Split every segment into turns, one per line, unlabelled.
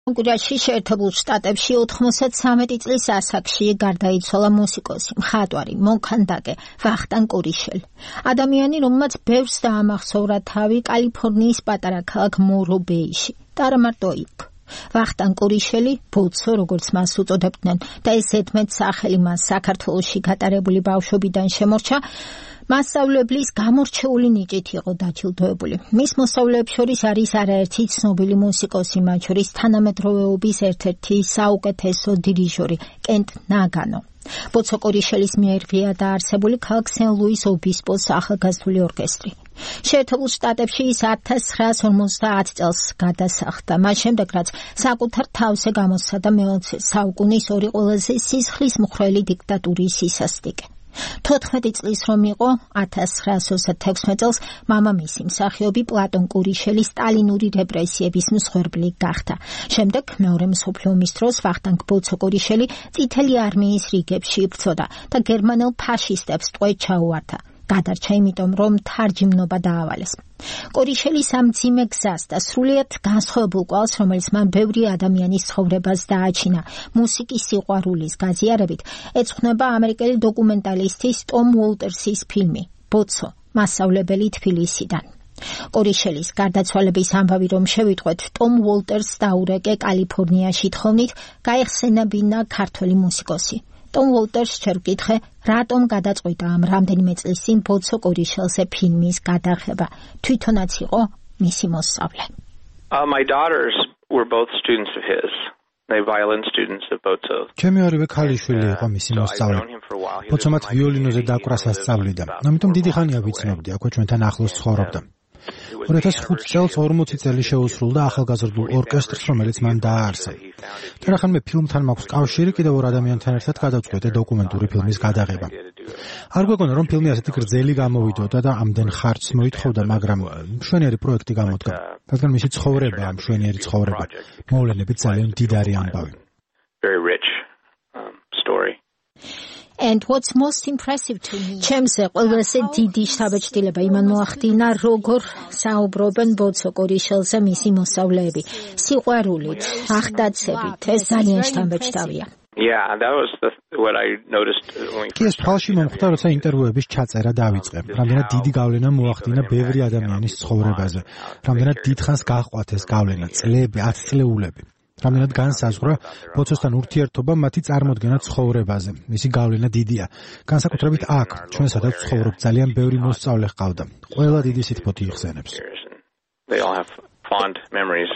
კონგრესში შეერთებულ შტატებში 93 წლის ასაკში გარდაიცვალა მუსიკოსი, მხატვარი, მოქანდაკე ვახტანგ კურიშელი. ადამიანი, რომელმაც ბევრს დაამახსოვრა თავი კალიფორნიის პატარა ქალაქ მორობეიში და არა მარტო იქ. ვახტანგ კურიშელი, ბოცო, როგორც მას უწოდებდნენ, და ეს ზედმეტ სახელი მას საქართველოში გატარებული ბავშვობიდან შემორჩა, მასწავლებლის გამორჩეული ნიჭით იყო დაჯილდოებული. მის მოსწავლეებს შორის არის არაერთი ცნობილი მუსიკოსი, მათ შორის თანამედროვეობის ერთ-ერთი საუკეთესო დირიჟორი კენტ ნაგანო. ბოცო კურიშელის მიერ დაარსებული ქალაქ სენ-ლუის ობისპოს ახალგაზრდული ორკესტრი. შეერთებულ შტატებში ის 1950 წელს გადასახლდა, მას შემდეგ რაც საკუთარ თავზე გამოსცადა მე-20 საუკუნის ორი ყველაზე სისხლის მხვრელი დიქტატურის სისასტიკე. 14 წლის რომ იყო 1926 წელს მამამისი მსახიობი პლატონ კურიშელი სტალინური რეპრესიების მსხვერპლი გახდა. შემდეგ მეორე მსოფლიო ომის დროს ვახტანგ ბოცო კურიშელი წითელი არმიის რიგებში იბრძოდა და გერმანელ ფაშისტებს ტყვე ჩაუვარდა. გადარჩა იმიტომ, რომ თარჯიმნობა დაავალეს. კურიშელის ამ მძიმე გზას და სრულიად განსხვავებულ კვალს, რომელიც მან ბევრი ადამიანის ცხოვრებას დააჩინა მუსიკის სიყვარულის გაზიარებით, ეძღვნება ამერიკელი დოკუმენტალისტის ტომ უოლტერსის ფილმი ბოცო, მასწავლებელი თბილისიდან. კურიშელის გარდაცვალების ამბავი რომ შევიტყვეთ, ტომ უოლტერსს დაურეკე კალიფორნიაში თხოვნით გაეხსენებინა ქართველი მუსიკოსი. ტომ უოლტერსს ჯერ ვკითხე, რატომ გადაწყვიტა ამ რამდენიმე წლის წინ ბოცო კურიშელზე ფილმის გადაღება. თვითონაც იყო მისი მოსწავლე.
My daughters were both students of his. They violin students of Bozo.
ჩემი ორივე ქალიშვილი იყო მისი მოსწავლე. ბოცო მათ ვიოლინოზე დაკვრას ასწავლიდა. ამიტომ დიდი ხანია ვიცნობდი, აქვე ჩვენთან ახლოს ცხოვრობდა. 2005 წელს 40 წელი შეუსრულდა ახალგაზრდულ ორკესტრს, რომელიც მან დააარსა. და რახანმე ფილმთან მაქვს კავშირი, კიდევ ორ ადამიანთან ერთად გადავწყვეტე დოკუმენტური ფილმის გადაღება. არ გვეგონა, რომ ფილმი ასეთი გრძელი გამოვიდოდა და ამდენ ხარჯს მოითხოვდა, მაგრამ მშვენიერი პროექტი გამოდგა. რადგან მისი ცხოვრება, მშვენიერი ცხოვრება, მოვლენებით ძალიან მდიდარი ამბავი.
Very rich story.
And what's most impressive to me, ჩემზე ყველაზე დიდი შთაბეჭდილება იმან მოახდინა, როგორ საუბრობენ ბოცო კურიშელზე მისი მოსწავლეები. სიყვარულით, ახდაცებით, ეს ძალიან შთამბეჭდავია.
Yeah, that was what I noticed when
კი ეს თვალში მომხვდა, როცა ინტერვიუების ჩაწერა დავიწყე. რამდენად დიდი გავლენა მოახდინა ბევრი ადამიანის ცხოვრებაზე. რამდენად დიდხანს გაჰყვათ ეს გავლენა, წლები, 10 წლეულები. რამდენად განსაზღვრა ბოცოსთან ურთიერთობა მათი წარმოდგენა ცხოვრებაზე. მისი გავლენა დიდია. განსაკუთრებით აქ, ჩვენ სადაც ცხოვრობ, ძალიან ბევრი მოსწავლე ჰყავდა. ყველა დიდი სითბოთი იხსენებს.
They all have fond memories.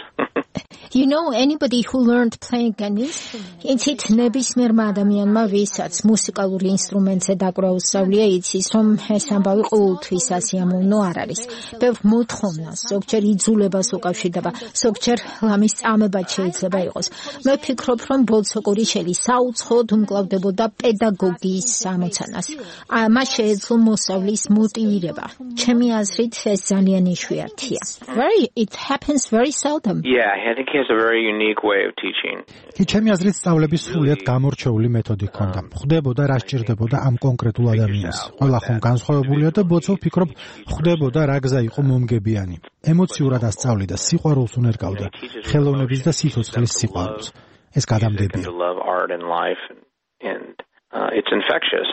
You know, anybody who learned playing an instrument, იცით ნებისმიერმა ადამიანმა, ვისაც მუსიკალურ ინსტრუმენტზე დაკვრა უსწავლია, იცის, რომ ეს ამბავი ყოველთვის ასიამოვნო არ არის. ბევრ მოთხოვნას, ზოგჯერ იძულებას უკავშირდება, ზოგჯერ ლამის წამებად შეიძლება იყოს. მე ვფიქრობ, რომ ბოცო კურიშელი საუცხოოდ უმკლავდებოდა პედაგოგიის ამოცანას. მას შეეძლო მოსავლის მოტივირება. ჩემი აზრით, ეს ძალიან იშვიათია. It happens very seldom.
Yeah, I think he has a very unique way of teaching.
კი ჩემი აზრით სწავლების სრულიად გამორჩეული მეთოდი ჰქონდა. ხვდებოდა რა სჭირდებოდა ამ კონკრეტულ ადამიანს. ყველა ხომ განსხვავებულია და ბოცო ვფიქრობ, ხვდებოდა რა გზა იყო მომგებიანი. ემოციურად ასწავლიდა, სიყვარულს უნერგავდა, ხელოვნების და სიცოცხლის სიყვარულს. ეს გადამდებია.
It's infectious.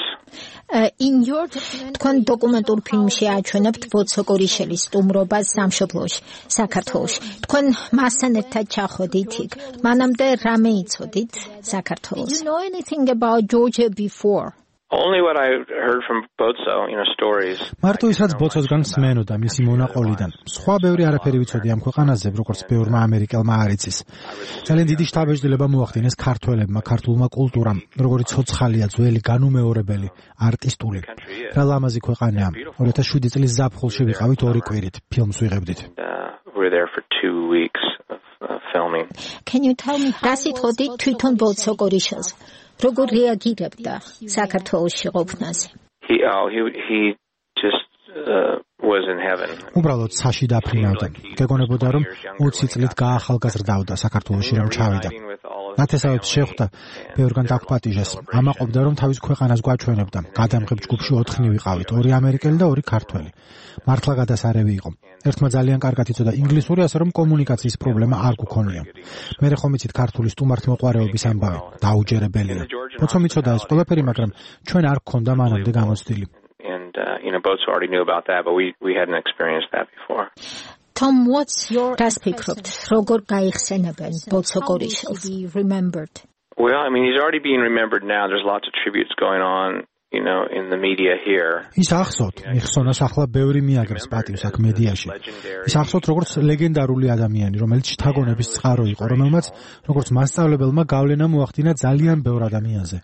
თქვენ დოკუმენტურ ფილმში აჩვენებთ ბოცო კურიშელის სტუმრობას სამშობლოში, საქართველოში. თქვენ მასთან ერთად ჩახვედით იქ. მანამდე რამე იცოდით საქართველოს? You know anything about Georgia before?
Only what I heard from Bozo, stories.
მარტო ის რაც ბოცოსგან მსმენოდა მისი მონაყოლიდან. სხვა ბევრი არაფერი ვიცოდი ამ ქვეყანაზე, როგორც ბევრმა ამერიკელმა არ იცის. ძალიან დიდი შთაბეჭდილება მოახდინეს ქართველებმა, ქართულმა კულტურამ, როგორი ცოცხალია, ძველი, განუმეორებელი, არტისტული. რა ლამაზი ქვეყანაა. 2007 წლის ზაფხულში ვიყავით 2 კვირით, ფილმს ვიღებდით.
We were there for 2 weeks of filming.
Can you tell me რა სიტყვით თვითონ ბოცო კურიშელს? როგორ რეაგირებდა საქართველოში ყოფნაზე?
He just was in heaven.
უბრალოდ საში დაფრინავდა. გეგონებოდა რომ 20 წლით გაახალგაზრდავდა საქართველოში რომ ჩავიდა. ნათესავებს შეხვდა, ბევრგან დაგპატიჟეს. ამაყობდა, რომ თავის ქვეყანას გვაჩვენებდა. გადამღებ ჯგუფში 4 ვიყავით, 2 ამერიკელი და 2 ქართველი. მართლა გადასარევი იყო. ერთმა ძალიან კარგად იცოდა ინგლისური, ასე რომ კომუნიკაციის პრობლემა არ გქონია. მე ხომ იცით ქართული სტუმართმოყვარეობის ამბავი, დაუჯერებელია. ბოცომ იცოდა ეს ყველაფერი, მაგრამ ჩვენ არ გქონდა მანამდე გამოცდილი.
Both already knew about that, but we hadn't experienced that before.
Tom, what's your perspective? როგორ გაიხსენებენ ბოცო კორიშელს? Remembered.
Well, I mean, he's already being remembered now. There's lots of tributes going on, in the media here.
ის ახსოვთ, მიხსონას ახლა ბევრი მიაგებს პატივს აქ მედიაში. ის ახსოვთ როგორც ლეგენდარული ადამიანი, რომელიც შთაგონების წყარო იყო, რომელმაც როგორც მასწავლებელმა გავლენა მოახდინა ძალიან ბევრ ადამიანზე.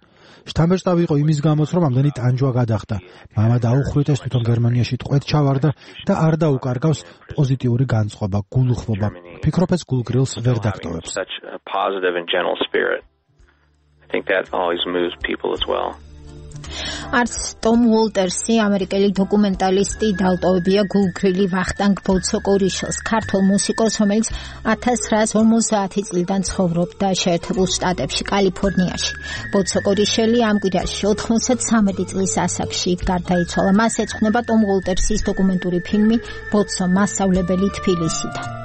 შთამბეჭდავი იყო იმის გამოც, რომ ამდენი ტანჯვა გადახდა. მამა დაუხრიტეს, თვითონ გერმანიაში ტყვედ ჩავარდა და არ დაუკარგავს პოზიტიური განწყობა, გულუხვობა. ფიქრობ ეს გულგრილს ვერ დაგტოვებს.
I think that always moves people as well.
არც ტომ უოლტერსი, ამერიკელი დოკუმენტალისტი, დაუტოვებია გულგრილი ვახტანგ ბოცო კორიშელს, ქართულ მუსიკოს, რომელიც 1950 წლიდან ცხოვრობდა შეერთებულ შტატებში, კალიფორნიაში. ბოცო კორიშელი ამ კვირაში 93 წლის ასაკში გარდაიცვალა. მას ეძღვნება ტომ უოლტერსის დოკუმენტური ფილმი ბოცო მასწავლებელი თბილისიდან.